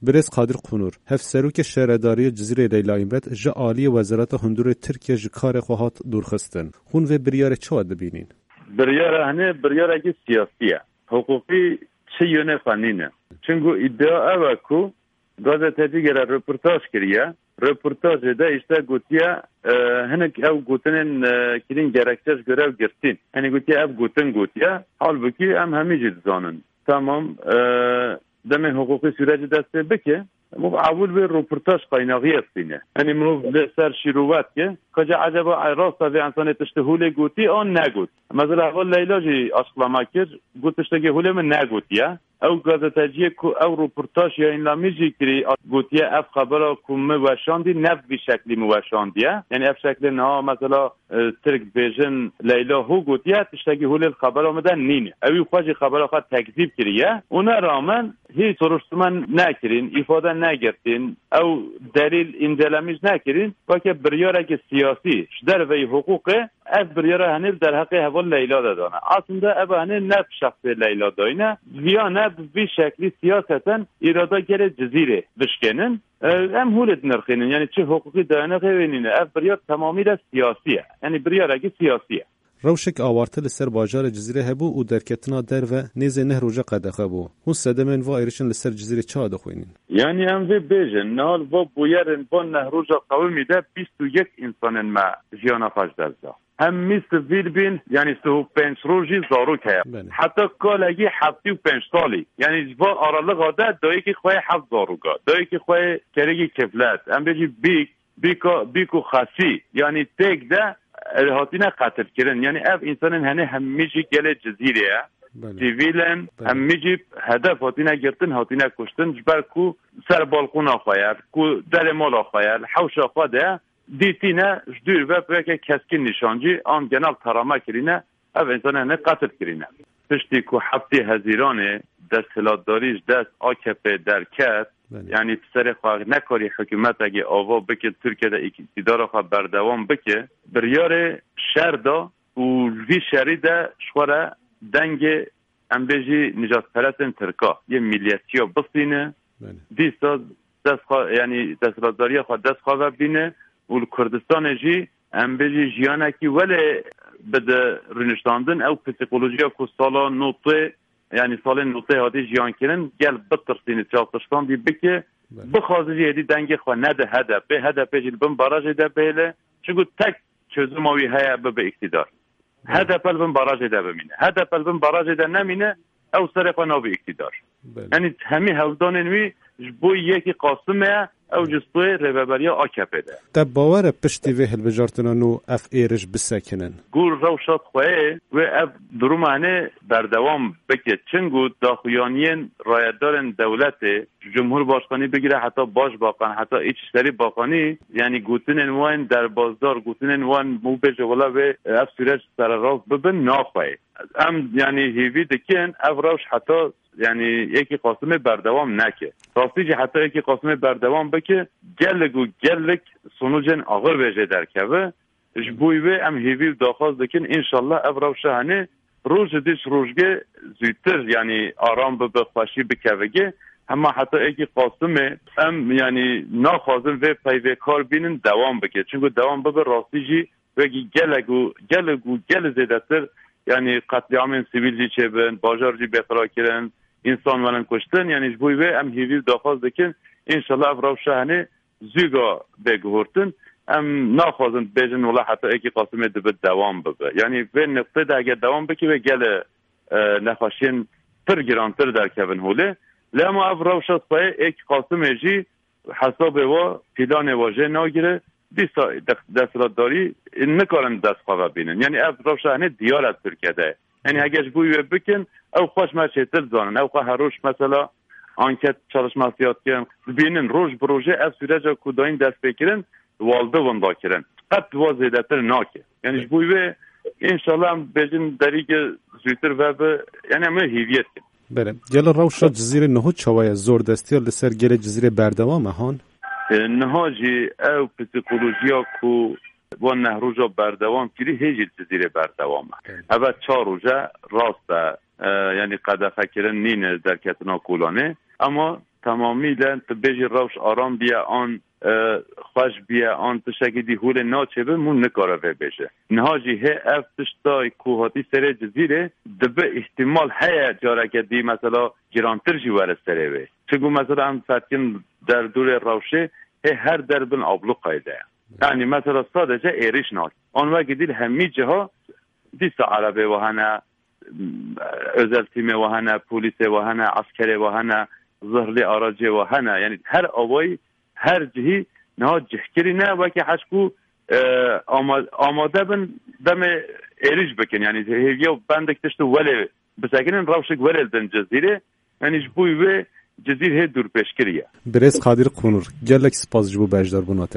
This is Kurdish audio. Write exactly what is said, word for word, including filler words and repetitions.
Birêz Qadir Qunur, hevserokê Şaredariyê Cizîrê Leyla Îmbet ji aliyê Wezareta Hundirê Tirkiye ji karê xwe hat dûrxistin. Hûn vê biryarê çawa dibînin? Biryara hene biryarekî siyasî ye. Hiqûqî çi yönê xwe nîne. Çinku îdia ew e ku gazetecî gere röportaj kiriye. Röportajê de işte gotiye, e, hinek ew gotinên, e, kirîn gerekçe ji göre ew girtîn. Henî gotiye ev gotin gotiye. Halbukî em hemî jî dizanin. Tamam, e, demê hiqûqî süreci dest pê bike, mirov ewil wê röportaj qaynaxiyê bistîne. Henî mirov li ser şîrove dike. Kaca eceba rast e vê insanê tiştê holê gotî an negot. Mesela heval Leyla jî açıklama kir, got tiştekî holê min negotiye. Ew gazeteciyê ku ew röportaj yayınlamî jî kirî, gotiye ev xebera ku min weşandî ne bi vî şeklî min weşandiye. Yani ev şeklê niha mesela, e, Tirk dibêjin Leyla hû gotiye, tiştekî holê li xebera min de nîne. Ewî xwe jî xebera xwe tekzîb kiriye. Ona rağmen hîç soruşturma nekirîn, îfade negirtîn, ew delîl încelemîş nekirîn. Weke biryarekî siyasî ji derveyî hiqûqê ev biryara henê li derheqê heval Leyla de dane. Aslında ev henê ne bi şexsê Leyla dayne, viya ne bi vî şeklî siyaseten îrada gelê Cizîrê bişkênin. E, em hûlê dinirxînin, yani çi hiqûqî dayanexê wê nîne. Ev biryar tamamîle siyasî ye. Yani biryarekî siyasî ye. Rewşek awarte li ser bajarê Cizîrê hebû û derketina derve nêzê neh roja qedexe bû. Hûn sedemên va êrişên li ser Cizîrê çawa dixwînin? Yani em vê bêjin, niha li va bûyerên van neh roja qewimî de bîst û yek însanên me jiyana xwe ji dest da. Hemî sivîl bîn, yani sih û pênc rojî zarok heye. Belê. Heta kalekî heftê û pênc salî. Yani ji van aralixa de dayikê xwe yê heft zaroka. Dayikê xwe yê kerekî kiflet. Em bêjî bîk, bîka, bîk û xesî. Yani têk de, e, hatine qetilkirin. Yani ev însanên henê hemî jî gelê Cizîrê ye. Belê. Sivîl in, Belê. Hemî jî hedef hatine girtin, hatine kuştin. Ji ber ku ser balkona xwe ye, ku derê mala xwe ye, li hewşa xwe de dîtîne ji dûr ve weke keskin nîşancî an genel tarama kirîne, ev însanê ne qetil kirîne. Piştî ku heftê Hezîranê desthilatdarî ji dest A K P derket, Belê. Yani bi serê xwe nekarî hikûmetekê ava bike, Tirkiye de îktidara xwe berdewam bike, biryarê şer da û li vî şerî de ji xwe re dengê, em bêjî, nijadperestên Tirka yê milliyetçiya bistîne. Belê. Dîsa dest xwe, yani desthilatdariya xwe dest xwe ve bîne û li Kurdistanê jî, em bêjî, jiyanekî welê bide rûniştandin. Ew psîkolojiya ku sala notê, yani salên notê hatî jiyan kirin, gel bitirsîne, çavtirsandî bike, Belê. Bixwaze jî êdî dengê xwe nede H D P. H D P jî li bin barajê de bihêle. Çunku tek çözüma wî heye bibe îktidar. Belê. H D P li bin barajê de bimîne. H D P li bin barajê de nemîne, ew serê xwe nabe îktidar. Belê. Yani hemî hewldanên wî ji bo yekî Qasimê ye, ew ji stûyê rêveberiya A K P de. Te bawer e piştî vê hilbijartina nû ev êriş bisekinin? Gor rewşa xweyê wê ev duruma hene berdewam bike. Çingo daxuyaniyên rayedarên dewletê, ji Cumhurbaşkanî bigire heta Başbakan, heta Îçişlerî Bakanî, yani gotinên wan derbasdar, gotinên wan û bêje wela wê ev süreç sererast bibin naxweyê. Em yani hêvî dikin ev rewş heta yani yekî Qasimê berdewam neke. Rastî jî heta yekî Qasimê berdewam bike, gelek û gelek sonucên axir vê jê derkeve. Ji bo wê em hêvî û daxwaz dikin, înşallah ev rewşa hene roj ji dî ji rojgê zûtir, yani aram bibe, xweşî bikevige. Hema heta êkî Qasimê em, yani naxwazin vê peyvê kar bînin dewam bike. Çunku dewam bibe rastî jî wekî gelek û gelek û gelek zêdetir, yani qetlîamên sivîl jî çêbin, bajar jî bêqira kirin, însan werin kuştin. Yani ji bo wê em hêvî û daxwaz dikin, înşallah ev rewşa hene zûga bê guhurtin. Em naxwazin bêjin wela heta êkî Qasimê dibe dewam bibe. Yani vê niqtê de eger dewam bike wê gele, e, nexweşiyên pir girantir derkevin holê. Lê hema ev rewşa spayê êkî Qasimê jî hesabê wa, planê wa jê nagire. Dîsa de-, desthilatdarî nikarin dest xwe ve bînin. Yani ev rewşa hene diyar e Tirkiye de. Yani heger ji bo wê bikin, ew xwe ji me çêtir dizanin. Ew xwe her roj mesela anket çalışmasiya dikin. Dibînin roj bi rojê ev süreca ku dayîn destpêkirin, walde winda kirin. Qet wa zêdetir nake. Yani ji bo wê, înşallah em bêjin derîge zûtir vebe, yani em ê hêviyê dikin. Belê. Gelo rewşa Cizîrê niho çawa ye? Zor destiya li ser gelê Cizîrê berdewam e han? E, niha jî ew psîkolojiya ku van neh roja berdewam kirî hê jî li Cizîrê berdewam e. Evet. Eve çar roje rast e, e, yani qedexekirin nîne derketina kolanê. Ama Temamî le tu bêjî rewş aram biye an, e, xweş biye an tiştekî dî hûlê naçêbe, mû nikare vê bêje. Niha jî hê ev tişta ku hatî serê Cizîrê dibe îhtimal heye careke dî mesela girantir jî were serê wê. Çiku mesela em fetkin derdorê rewşê hê her der bin abluqayê de. Yani mesela sadece êrîş nake. An wekî dî li hemî ciha dîsa erebê we hene, özel tîmê we hene, polîsê we hene, eskerê we hene, zihlê aracê we hene. Yani her awayî, her cihî niha cihkirî ne wekî heşkû, e, ama-, amade bin demê êrîş bikin. Yani hêviya bendek tişt û welê bisekinin rewşik welê din Cizîrê. Yani ji bo wê Cizîr hê dûrpêşkirî ye. Birêz Qadir Qunur, gelek spas ji bo beşdarbûna te.